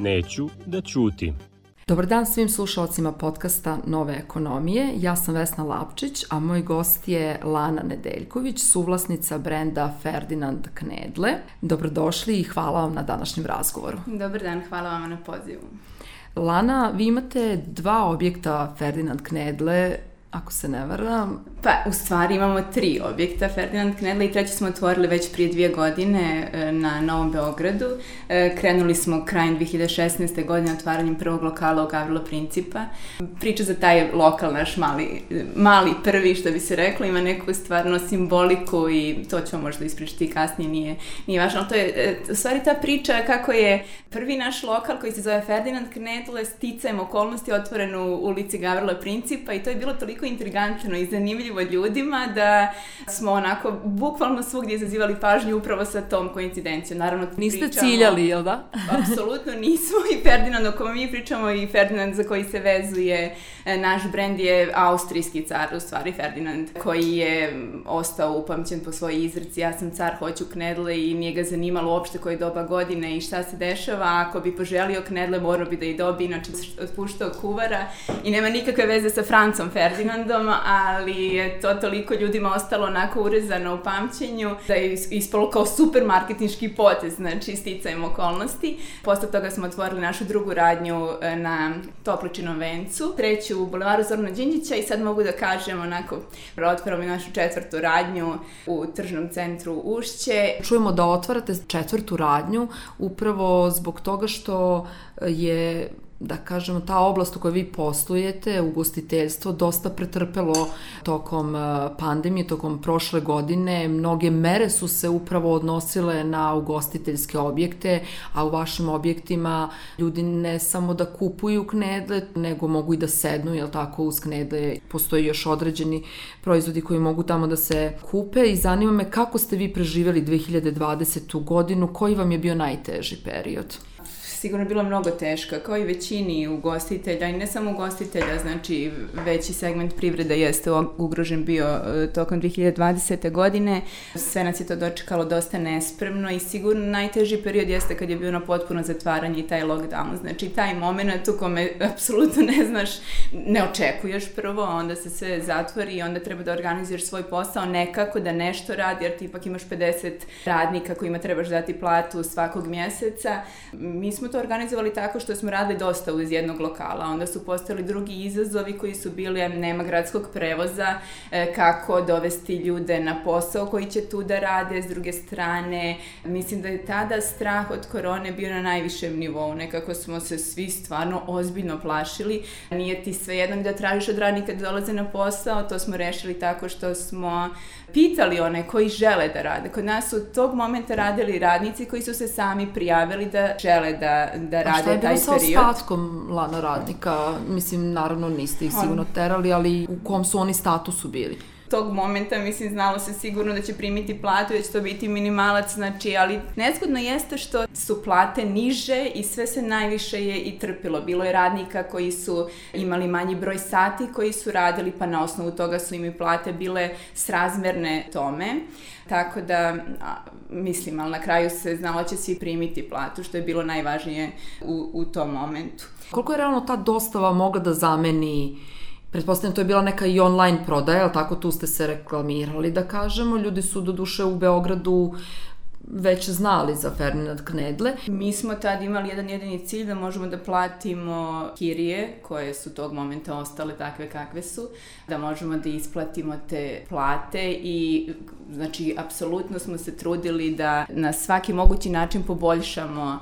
Neću da ćutim. Dobar dan svim slušalcima podcasta Nove ekonomije. Ja sam Vesna Lapčić, a moj gost je Lana Nedeljković, suvlasnica brenda Ferdinand Knedle. Dobrodošli i hvala vam na današnjem razgovoru. Dobar dan, hvala vam na pozivu. Lana, vi imate 2 objekta Ferdinand Knedle, ako se ne varam. Pa, u stvari imamo 3 objekta Ferdinand Knedle i 3 smo otvorili već prije 2 godine na Novom Beogradu. Krenuli smo krajem 2016. godine otvaranjem prvog lokala u Gavrilo Principa. Priča za taj lokal, naš mali prvi, što bi se reklo, ima neku stvarno simboliku i to ćemo možda ispričati kasnije, nije važno, ali to je u stvari ta priča kako je prvi naš lokal koji se zove Ferdinand Knedle sticajem okolnosti otvoren u ulici Gavrilo Principa i to je bilo toliko intrigantno i zanimljivo ljudima da smo onako bukvalno svugdje izazivali pažnju upravo sa tom koincidencijom. Naravno, niste ciljali, jel da? Apsolutno nismo i Ferdinand o kome mi pričamo i Ferdinand za koji se vezuje naš brend je austrijski car, u stvari Ferdinand, koji je ostao upamćen po svojoj izreci ja sam car, hoću Knedle i nije ga zanimalo uopšte koje doba godine i šta se dešava. Ako bi poželio Knedle, morao bi da i dobije, inače otpuštao kuvara i nema nikakve veze sa Francom Ferdinandom, ali je to toliko ljudima ostalo onako urezano u pamćenju da je ispalo kao super marketinški potez, znači sticajem okolnosti. Posle toga smo otvorili našu drugu radnju na Topličinom vencu, treću u Bulevaru Zorana Đinđića i sad mogu da kažem onako, otvaramo i našu 4. radnju u tržnom centru Ušće. Čujemo da otvarate 4. radnju upravo zbog toga što je, da kažemo, ta oblast u kojoj vi poslujete, ugostiteljstvo, dosta pretrpelo tokom pandemije, tokom prošle godine. Mnoge mere su se upravo odnosile na ugostiteljske objekte, a u vašim objektima ljudi ne samo da kupuju Knedle, nego mogu i da sednu, jel tako, uz Knedle. Postoji još određeni proizvodi koji mogu tamo da se kupe i zanima me kako ste vi preživjeli 2020. godinu, koji vam je bio najteži period? Sigurno je bilo mnogo teška, kao i većini ugostitelja, i ne samo ugostitelja, znači veći segment privrede jeste ugrožen bio tokom 2020. godine. Sve nas je to dočekalo dosta nespremno i sigurno najteži period jeste kad je bio na potpuno zatvaranje i taj lockdown. Znači taj moment u kome apsolutno ne znaš, ne očekuješ prvo, onda se sve zatvori i onda treba da organizuješ svoj posao nekako, da nešto radi, jer ti ipak imaš 50 radnika kojima trebaš dati platu svakog mjeseca. Mi smo to organizovali tako što smo radili dosta uz jednog lokala, onda su postojali drugi izazovi koji su bili nema gradskog prevoza, kako dovesti ljude na posao koji će tu da rade, s druge strane, mislim da je tada strah od korone bio na najvišem nivou, nekako smo se svi stvarno ozbiljno plašili, nije ti svejedno da tražiš od radnika da dolaze na posao, to smo rešili tako što smo pitali one koji žele da rade. Kod nas su tog momenta radili radnici koji su se sami prijavili da žele da rade taj period. A šta je bilo sa ostatkom Lana radnika? Mislim, naravno niste ih sigurno terali, ali u kom su oni statusu bili? Tog momenta, mislim, znalo se sigurno da će primiti platu, da će to biti minimalac, znači, ali nezgodno jeste što su plate niže i sve se najviše je i trpilo. Bilo je radnika koji su imali manji broj sati koji su radili, pa na osnovu toga su im i plate bile srazmerne tome. Tako da, mislim, ali na kraju se znalo će svi primiti platu, što je bilo najvažnije u tom momentu. Koliko je realno ta dostava mogla da zameni? Pretpostavljam, to je bila neka i online prodaja, ali tako tu ste se reklamirali, da kažemo. Ljudi su doduše u Beogradu već znali za Ferdinand Knedle. Mi smo tad imali jedan jedini cilj da možemo da platimo kirije koje su tog momenta ostale takve kakve su, da možemo da isplatimo te plate i znači apsolutno smo se trudili da na svaki mogući način poboljšamo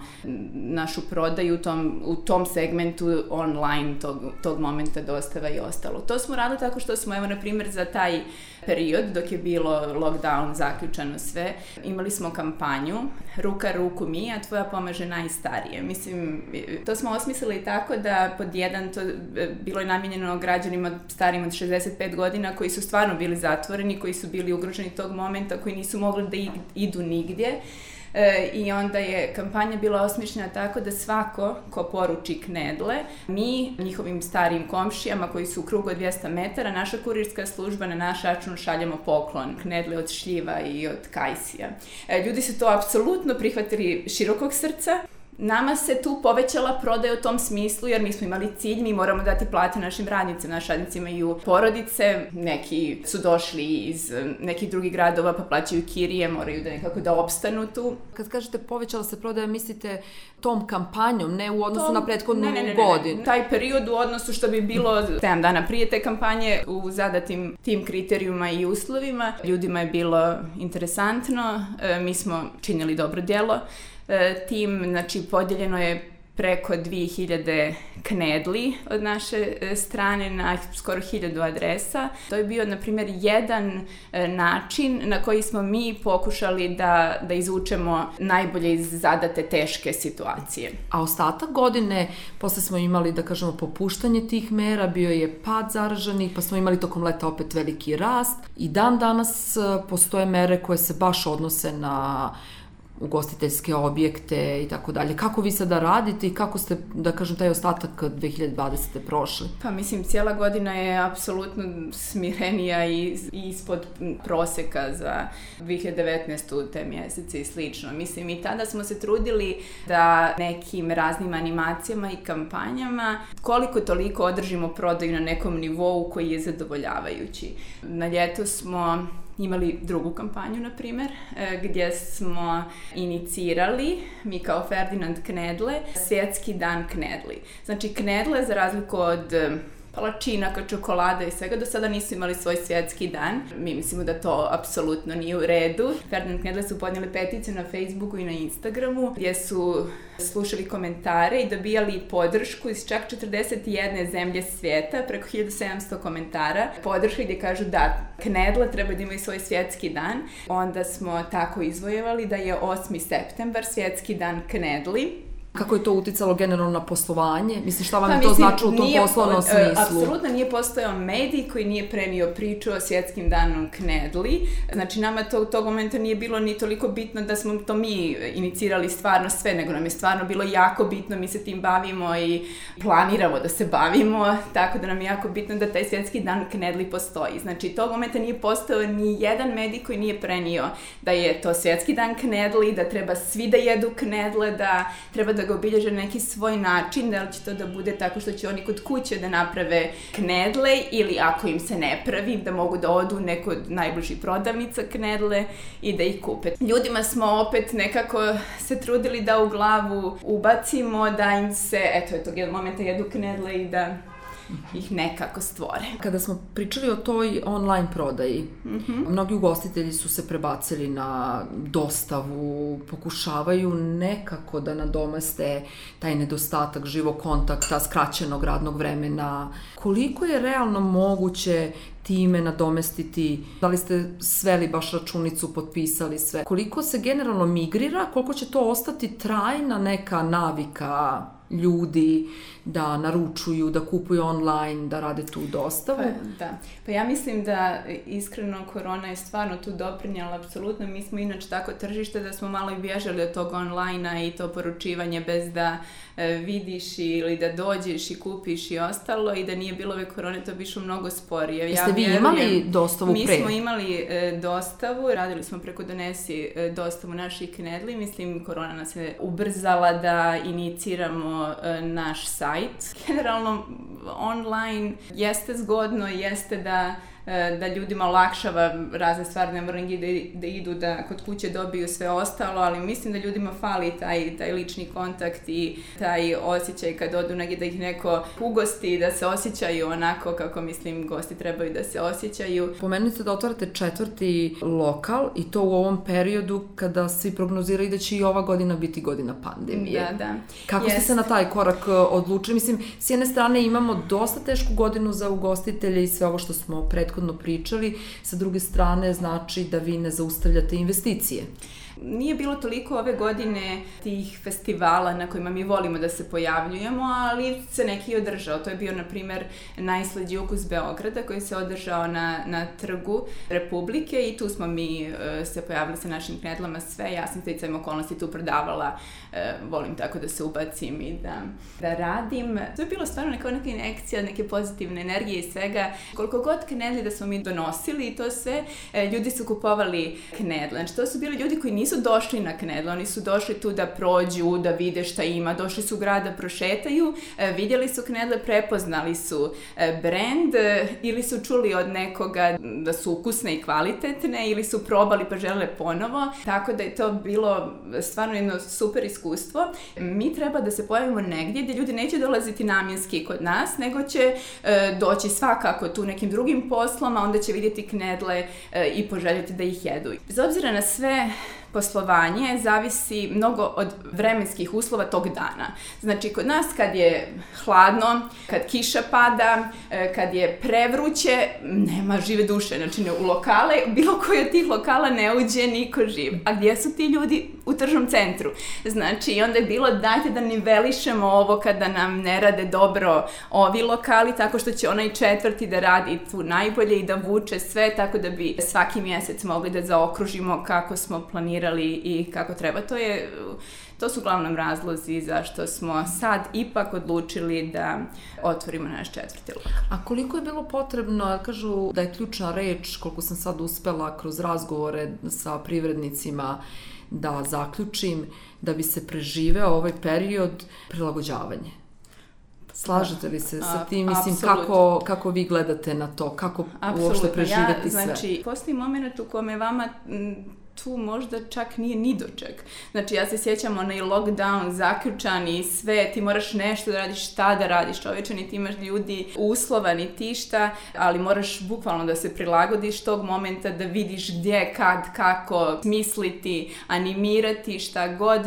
našu prodaju u tom segmentu online tog momenta dostava i ostalo. To smo radili tako što smo, evo na primjer za taj period dok je bilo lockdown, zaključano sve, imali smo kampanju Ruka ruku mi, a tvoja pomaže najstarije. Mislim, to smo osmislili tako da pod jedan to bilo je namijenjeno građanima starijim od 65 godina koji su stvarno bili zatvoreni, koji su bili ugroženi tog momenta, koji nisu mogli da idu nigdje. I onda je kampanja bila osmišljena tako da svako ko poruči Knedle, mi njihovim starijim komšijama koji su u krugu od 200 metara, naša kurirska služba na naš račun šaljemo poklon Knedle od šljiva i od kajsija. Ljudi su to apsolutno prihvatili širokog srca. Nama se tu povećala prodaja u tom smislu, jer mi smo imali cilj, mi moramo dati plate našim radnicima. Naši radnici imaju porodice, neki su došli iz nekih drugih gradova pa plaćaju kirije, moraju da nekako da opstanu tu. Kad kažete povećala se prodaja, mislite tom kampanjom, ne u odnosu na prethodnu godinu? Ne. Taj period u odnosu što bi bilo 7 dana prije te kampanje u zadatim tim kriterijuma i uslovima. Ljudima je bilo interesantno, mi smo činili dobro djelo. Tim, znači, podijeljeno je preko 2000 knedli od naše strane na skoro 1000 adresa. To je bio, na primjer, jedan način na koji smo mi pokušali da izvučemo najbolje iz zadate teške situacije. A ostatak godine, posle smo imali, da kažemo, popuštanje tih mera, bio je pad zaraženih, pa smo imali tokom leta opet veliki rast i dan danas postoje mere koje se baš odnose na ugostiteljske objekte i tako dalje. Kako vi sada radite i kako ste, da kažem, taj ostatak 2020. prošli? Pa mislim, cijela godina je apsolutno smirenija i ispod proseka za 2019. te mjesece i slično. Mislim, i tada smo se trudili da nekim raznim animacijama i kampanjama koliko toliko održimo prodaju na nekom nivou koji je zadovoljavajući. Na ljeto smo imali drugu kampanju, na primjer, gdje smo inicirali, mi kao Ferdinand Knedle, svjetski dan knedli. Znači, knedle, za razliku od palačinaka, čokolada i svega, do sada nisu imali svoj svjetski dan. Mi mislimo da to apsolutno nije u redu. Ferdinand Knedle su podnijeli peticiju na Facebooku i na Instagramu, gdje su slušali komentare i dobijali podršku iz čak 41 zemlje svijeta, preko 1700 komentara. Podrška gdje kažu da knedle treba da imaju svoj svjetski dan. Onda smo tako izvojevali da je 8. septembar svjetski dan knedli. Kako je to uticalo generalno na poslovanje? Mislim, šta vam je to značilo u tom poslovnom smislu? Apsolutno nije postojao medij koji nije prenio priču o svjetskim danom knedli. Znači, nama to u tog momenta nije bilo ni toliko bitno da smo to mi inicirali stvarno sve, nego nam je stvarno bilo jako bitno, mi se tim bavimo i planiramo da se bavimo, tako da nam je jako bitno da taj svjetski dan knedli postoji. Znači, tog momenta nije postojao ni jedan medij koji nije prenio da je to svjetski dan knedli, da treba svi da jedu knedle, da treba da ga obilježe neki svoj način, da li će to da bude tako što će oni kod kuće da naprave knedle ili ako im se ne pravi, da mogu da odu u neko od najbližih prodavnica knedle i da ih kupe. Ljudima smo opet nekako se trudili da u glavu ubacimo, da im se, eto, tog jednog momenta jedu knedle i da ih nekako stvore. Kada smo pričali o toj online prodaji, mnogi ugostitelji su se prebacili na dostavu, pokušavaju nekako da nadomeste taj nedostatak živog kontakta, skraćenog radnog vremena. Koliko je realno moguće time nadomestiti? Da li ste sveli baš računicu, potpisali sve? Koliko se generalno migrira, koliko će to ostati trajna neka navika ljudi da naručuju, da kupuju online, da rade tu dostavu? Pa ja mislim da iskreno korona je stvarno tu doprinjela, apsolutno. Mi smo inače tako tržište da smo malo i bježali od tog online-a i to poručivanje bez da vidiš ili da dođeš i kupiš i ostalo, i da nije bilo ove korone to bi išlo mnogo sporije. Jeste vi imali dostavu pre? Mi smo imali dostavu, radili smo preko Donesi dostavu naših knedli. Mislim, korona nas je ubrzala da iniciramo naš sajt. Generalno, online jeste zgodno, jeste da ljudima olakšava razne stvari, ne moraju da idu da kod kuće dobiju sve ostalo, ali mislim da ljudima fali taj lični kontakt i taj osjećaj kad odu negdje da ih neko ugosti, da se osjećaju onako kako, mislim, gosti trebaju da se osjećaju. Pomenuli ste da otvarate 4. lokal i to u ovom periodu kada svi prognoziraju da će i ova godina biti godina pandemije. Da. Kako ste se na taj korak odlučili? Mislim, s jedne strane imamo dosta tešku godinu za ugostitelje i sve ovo što smo prethodno pričali, sa druge strane znači da vi ne zaustavljate investicije. Nije bilo toliko ove godine tih festivala na kojima mi volimo da se pojavljujemo, ali se neki održao. To je bio, na primjer, Najslađi ukus Beograda koji se održao na Trgu Republike i tu smo mi se pojavili sa našim knedlama sve. Ja sam sticajem okolnosti tu prodavala, volim tako da se ubacim i da radim. To je bilo stvarno neka injekcija, neke pozitivne energije i svega. Koliko god knedli da smo mi donosili i to sve, ljudi su kupovali knedle. Znači, to su bili ljudi koji nisu nisu došli na Knedle, oni su došli tu da prođu, da vide šta ima, došli su u grad da prošetaju, vidjeli su Knedle, prepoznali su brend ili su čuli od nekoga da su ukusne i kvalitetne ili su probali pa žele ponovo, tako da je to bilo stvarno jedno super iskustvo. Mi treba da se pojavimo negdje gdje ljudi neće dolaziti namjenski kod nas, nego će doći svakako tu nekim drugim poslom, a onda će vidjeti Knedle i poželjeti da ih jedu. Bez obzira na sve, poslovanje zavisi mnogo od vremenskih uslova tog dana. Znači, kod nas kad je hladno, kad kiša pada, kad je prevruće, nema žive duše. Znači, u lokale, bilo koji od tih lokala ne uđe niko živ. A gdje su ti ljudi? U tržnom centru. Znači, onda je bilo dajte da nivelišemo ovo kada nam ne rade dobro ovi lokali, tako što će onaj četvrti da radi tu najbolje i da vuče sve, tako da bi svaki mjesec mogli da zaokružimo kako smo planirali i kako treba. To su uglavnom razlozi zašto smo sad ipak odlučili da otvorimo naš četvrti lokal. A koliko je bilo potrebno, kažu da je ključna reč, koliko sam sad uspela kroz razgovore sa privrednicima da zaključim, da bi se preživeo ovaj period, prilagođavanje. Slažete li se sa tim? Mislim, kako vi gledate na to? Kako uopšte preživeti sve? Znači, postoji moment u kome vama tu možda čak nije ni doček. Znači, ja se sjećam onaj lockdown, zaključan i sve, ti moraš nešto da radiš, šta da radiš, čovječe, niti imaš ljudi uslova, ni ti šta, ali moraš bukvalno da se prilagodiš tog momenta, da vidiš gdje, kad, kako, misliti, animirati, šta god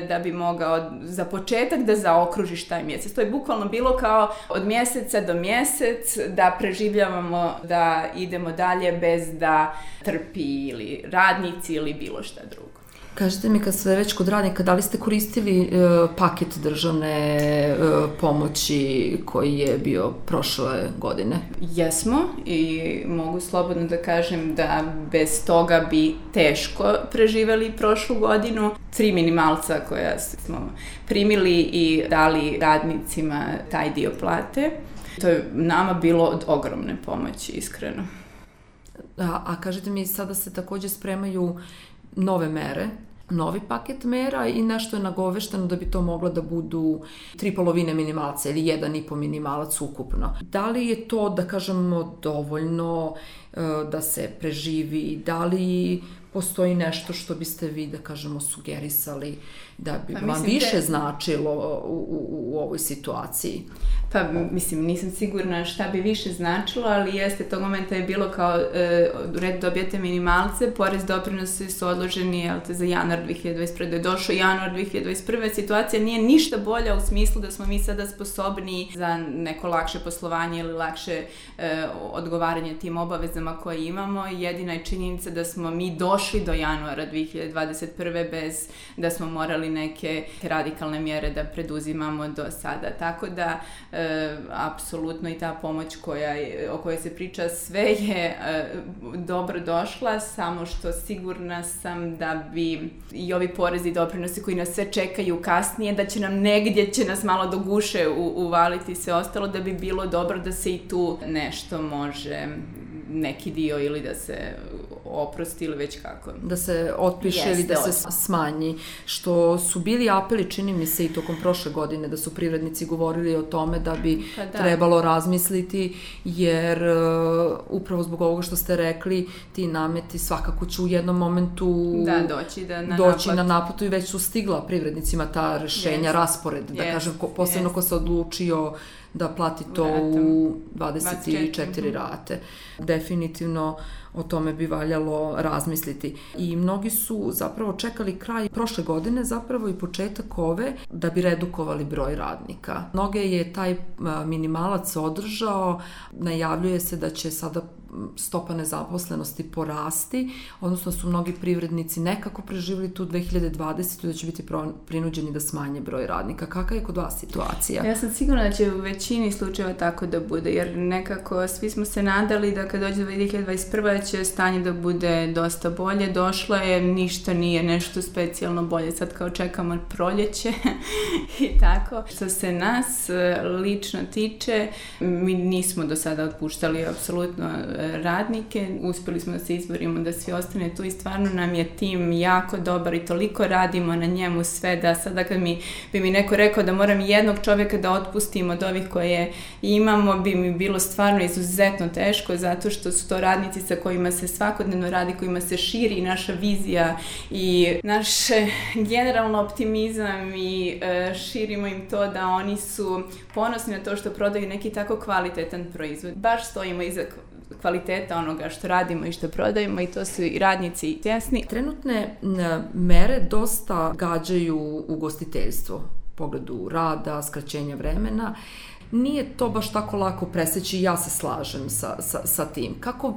da bi mogao za početak da zaokružiš taj mjesec. To je bukvalno bilo kao od mjeseca do mjesec da preživljavamo, da idemo dalje bez da trpi ili radnici ili bilo šta drugo. Kažete mi, kad ste već kod radnika, da li ste koristili paket državne pomoći koji je bio prošle godine? Jesmo i mogu slobodno da kažem da bez toga bi teško preživeli prošlu godinu. 3 minimalca koja smo primili i dali radnicima taj dio plate. To je nama bilo od ogromne pomoći, iskreno. A kažete mi, sada se također spremaju nove mere, novi paket mera i nešto je nagovešteno da bi to moglo da budu 3,5 minimalca ili 1,5 minimalac ukupno. Da li je to, da kažemo, dovoljno da se preživi? Da li postoji nešto što biste vi, da kažemo, sugerisali da bi vam više značilo u ovoj situaciji? Pa, mislim, nisam sigurna šta bi više značilo, ali jeste, tog momenta je bilo kao u redu dobijete minimalce, porez doprinosi su odloženi za januar 2021. Da je došao januar 2021. Situacija nije ništa bolja u smislu da smo mi sada sposobni za neko lakše poslovanje ili lakše odgovaranje tim obavezama koje imamo. Jedina je činjenica da smo mi došli do januara 2021. bez da smo morali neke radikalne mjere da preduzimamo do sada. Tako da apsolutno i ta pomoć o kojoj se priča sve je dobro došla, samo što sigurna sam da bi i ovi porezi i doprinosi koji nas sve čekaju kasnije, da će nam negdje nas malo do guše uvaliti sve ostalo, da bi bilo dobro da se i tu nešto može, neki dio ili da se oprosti ili već kako. Da se otpiše ili da se smanji. Što su bili apeli, čini mi se, i tokom prošle godine, da su privrednici govorili o tome da bi trebalo razmisliti, jer upravo zbog ovoga što ste rekli, ti nameti svakako će u jednom momentu doći na naplatu i već su stigla privrednicima ta rješenja, raspored, da kažem, posebno ko se odlučio da plati to u 24 rate. Definitivno o tome bi valjalo razmisliti. I mnogi su zapravo čekali kraj prošle godine, zapravo i početak ove, da bi redukovali broj radnika. Mnoge je taj minimalac održao, najavljuje se da će sada stopa nezaposlenosti porasti, odnosno su mnogi privrednici nekako preživjeli tu 2020. da će biti prinuđeni da smanje broj radnika. Kakva je kod vas situacija? Ja sam sigurna da će u većini slučajeva tako da bude, jer nekako svi smo se nadali da kad dođe 2021. će stanje da bude dosta bolje. Došlo je, ništa nije nešto specijalno bolje. Sad kao čekamo proljeće i tako. Što se nas lično tiče, mi nismo do sada otpuštali apsolutno radnike, uspjeli smo da se izborimo da svi ostane tu i stvarno nam je tim jako dobar i toliko radimo na njemu sve da sada kad bi mi neko rekao da moram jednog čovjeka da otpustim od ovih koje imamo, bi mi bilo stvarno izuzetno teško, zato što su to radnici sa kojima se svakodnevno radi, kojima se širi naša vizija i naš generalno optimizam i širimo im to da oni su ponosni na to što prodaju neki tako kvalitetan proizvod. Baš stojimo iza kvaliteta onoga što radimo i što prodajemo i to su i radnici i tjesni. Trenutne mere dosta gađaju ugostiteljstvo u pogledu rada, skraćenja vremena. Nije to baš tako lako preseći, ja se slažem sa tim. Kako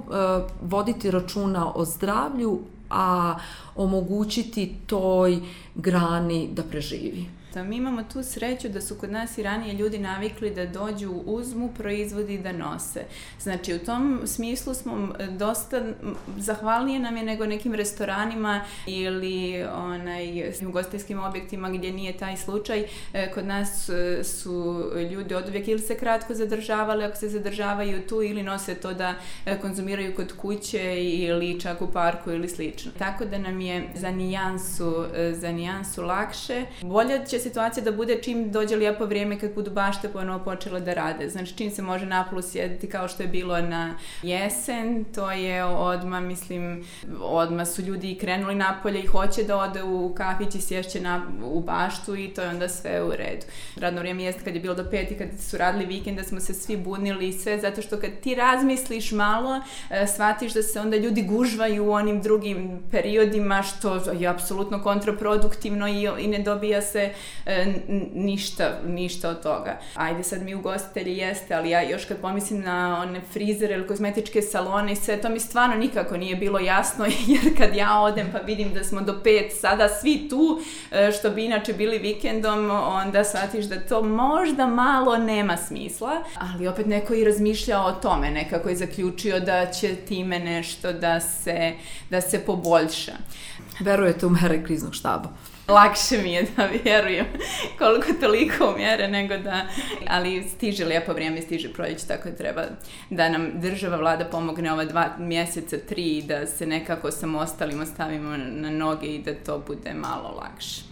voditi računa o zdravlju, a omogućiti toj grani da preživi? Mi imamo tu sreću da su kod nas i ranije ljudi navikli da dođu, uzmu, proizvodi da nose. Znači, u tom smislu smo dosta zahvalnije nam je nego nekim restoranima ili ugostiteljskim objektima gdje nije taj slučaj. Kod nas su ljudi oduvijek ili se kratko zadržavali, ako se zadržavaju tu, ili nose to da konzumiraju kod kuće ili čak u parku ili slično. Tako da nam je za nijansu lakše. Bolje će situacija da bude čim dođe lijepo vrijeme kad budu bašte ponovo počele da rade. Znači čim se može napolu sjediti kao što je bilo na jesen, to je odmah su ljudi i krenuli napolje i hoće da ode u kafić i sješće u baštu i to je onda sve u redu. Radno vrijeme jeste kad je bilo do 5 i kad su radili vikend da smo se svi bunili i sve, zato što kad ti razmisliš malo, shvatiš da se onda ljudi gužvaju u onim drugim periodima, što je apsolutno kontraproduktivno i ne dobija se ništa od toga. Ajde sad mi ugostitelji jeste, ali ja još kad pomislim na one frizere ili kozmetičke salone i sve, to mi stvarno nikako nije bilo jasno, jer kad ja odem pa vidim da smo do 5 sada svi tu, što bi inače bili vikendom, onda shvatiš da to možda malo nema smisla, ali opet neko i razmišljao o tome, nekako je zaključio da će time nešto da se poboljša. Verujete u mere kriznog štaba? Lakše mi je da vjerujem koliko toliko u mjere nego da, ali stiže lijepo vrijeme, stiže proljeće, tako da treba da nam država, vlada pomogne ova 2 mjeseca, 3 da se nekako samostalimo stavimo na noge i da to bude malo lakše.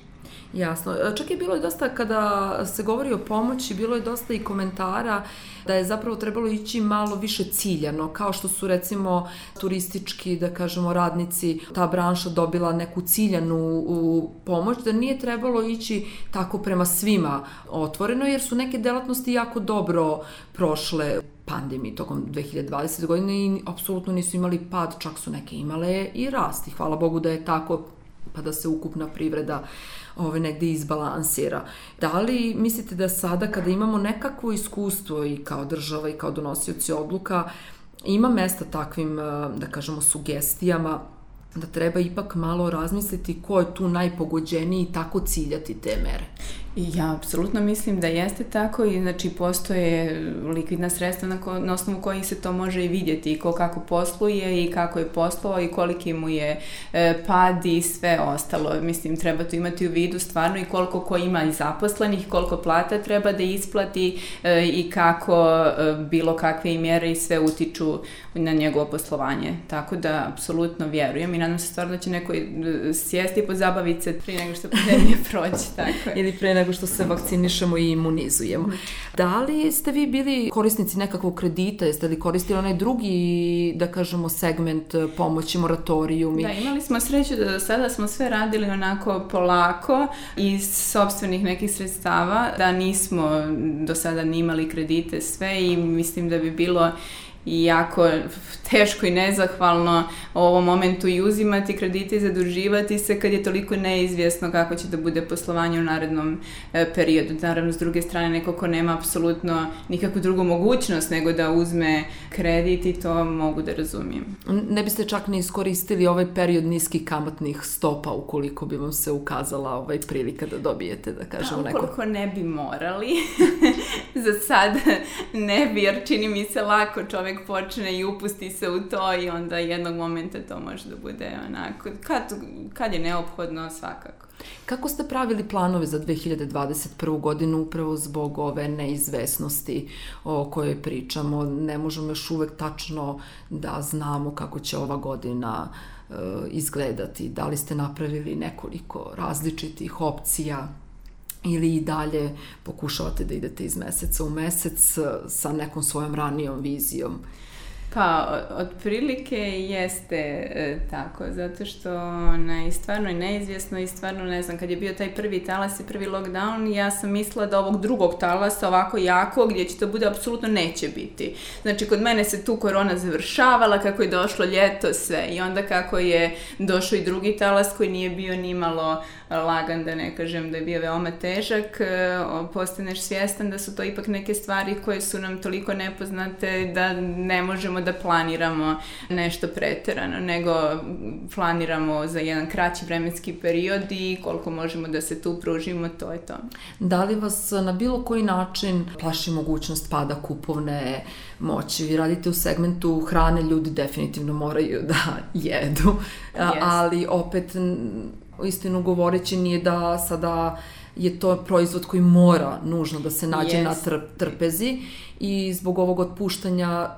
Jasno. Čak je bilo i dosta, kada se govori o pomoći, bilo je dosta i komentara da je zapravo trebalo ići malo više ciljano, kao što su recimo turistički, da kažemo, radnici, ta branša dobila neku ciljanu pomoć, da nije trebalo ići tako prema svima otvoreno, jer su neke delatnosti jako dobro prošle pandemiji tokom 2020. godine i apsolutno nisu imali pad, čak su neke imale i rast. I hvala Bogu da je tako, pa da se ukupna privreda negdje izbalansira. Da li mislite da sada kada imamo nekakvo iskustvo i kao država i kao donosioci odluka ima mesta takvim, da kažemo, sugestijama da treba ipak malo razmisliti ko je tu najpogođeniji i tako ciljati te mere? Ja apsolutno mislim da jeste tako i znači postoje likvidna sredstva na osnovu kojih se to može i vidjeti i ko kako posluje i kako je poslovao i koliki mu je pad i sve ostalo. Mislim, treba to imati u vidu stvarno i koliko ko ima i zaposlenih, koliko plata treba da isplati i kako bilo kakve i mjere i sve utiču na njegovo poslovanje. Tako da apsolutno vjerujem i nadam se stvarno da će neko sjesti i pozabaviti se prije nego što pandemija prođe. Tako je. Ili prije nego što se vakcinišemo i imunizujemo. Da li ste vi bili korisnici nekakvog kredita? Jeste li koristili onaj drugi, da kažemo, segment pomoći, moratorijumi? Da, imali smo sreću da do sada smo sve radili onako polako iz sopstvenih nekih sredstava, da nismo do sada ni imali kredite sve i mislim da bi bilo i jako teško i nezahvalno u ovom momentu i uzimati kredite i zaduživati se kad je toliko neizvjesno kako će da bude poslovanje u narednom periodu. Naravno, s druge strane, neko ko nema apsolutno nikakvu drugu mogućnost nego da uzme kredit i to mogu da razumijem. Ne biste čak ni iskoristili ovaj period niskih kamatnih stopa ukoliko bi vam se ukazala prilika da dobijete, da kažemo, neko? Ukoliko ne bi morali, za sad ne bi, jer čini mi se lako čovjek počne i upusti se u to i onda jednog momenta to može da bude onako, kad je neophodno svakako. Kako ste pravili planove za 2021. godinu upravo zbog ove neizvesnosti o kojoj pričamo? Ne možemo još uvek tačno da znamo kako će ova godina izgledati. Da li ste napravili nekoliko različitih opcija ili i dalje pokušavate da idete iz meseca u mesec sa nekom svojom ranijom vizijom? Pa, otprilike jeste tako, zato što je stvarno neizvjesno i stvarno ne znam, kad je bio taj prvi talas i prvi lockdown, ja sam mislila da ovog drugog talasa ovako jako, gdje će to bude, apsolutno neće biti. Znači, kod mene se tu korona završavala, kako je došlo ljeto, sve. I onda kako je došao i drugi talas koji nije bio nimalo lagan, da ne kažem da je bio veoma težak, postaneš svjestan da su to ipak neke stvari koje su nam toliko nepoznate da ne možemo da planiramo nešto preterano, nego planiramo za jedan kraći vremenski period i koliko možemo da se tu pružimo, to je to. Da li vas na bilo koji način plaši mogućnost pada kupovne moći? Vi radite u segmentu hrane, ljudi definitivno moraju da jedu, ali opet, istinu govoreći, nije da sada je to proizvod koji mora nužno da se nađe na trpezi i zbog ovog otpuštanja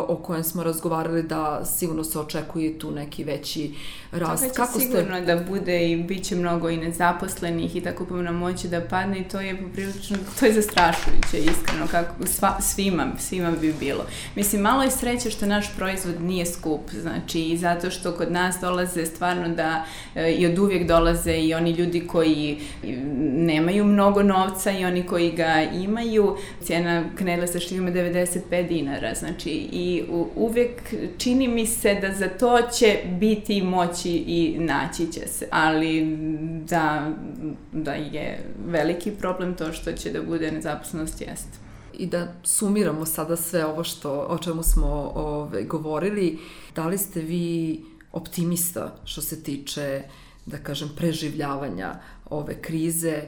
o kojem smo razgovarali da sigurno se očekuje tu neki veći rast. Kako sigurno da bude i bit će mnogo i nezaposlenih i tako kupovna moći da padne i to je poprilično, to je zastrašujuće, iskreno, kako svima bi bilo. Mislim, malo je sreće što naš proizvod nije skup, znači i zato što kod nas dolaze stvarno da i od uvijek dolaze i oni ljudi koji nemaju mnogo novca i oni koji ga imaju. Cijena knedle sa šljivom je 95 dinara, znači i uvijek čini mi se da za to će biti moći i naći će se, ali da je veliki problem to što će da bude nezaposlenost, jest. I da sumiramo sada sve ovo o čemu smo govorili, da li ste vi optimista što se tiče, da kažem, preživljavanja ove krize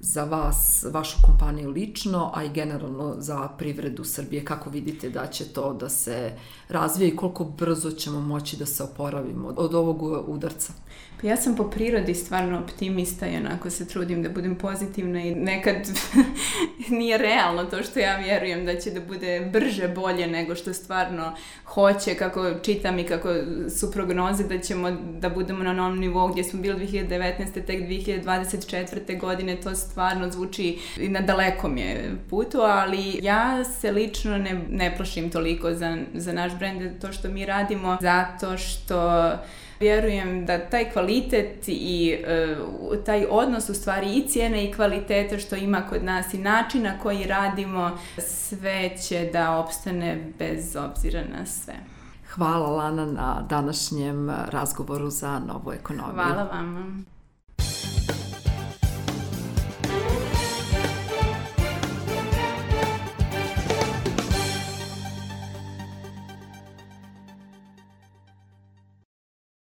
za vas, vašu kompaniju lično, a i generalno za privredu Srbije? Kako vidite da će to da se razvije i koliko brzo ćemo moći da se oporavimo od ovog udarca? Pa ja sam po prirodi stvarno optimista i onako se trudim da budem pozitivna i nekad nije realno to što ja vjerujem da će da bude brže, bolje nego što stvarno hoće, kako čitam i kako su prognoze da ćemo da budemo na onom nivou gdje smo bili 2019. tek 2024. godine, to stvarno zvuči i na dalekom je putu, ali ja se lično ne plašim toliko za naš brend, to što mi radimo, zato što vjerujem da taj kvalitet i taj odnos u stvari i cijene i kvalitete što ima kod nas i način na koji radimo, sve će da opstane bez obzira na sve. Hvala, Lana, na današnjem razgovoru za Novu ekonomiju. Hvala vama.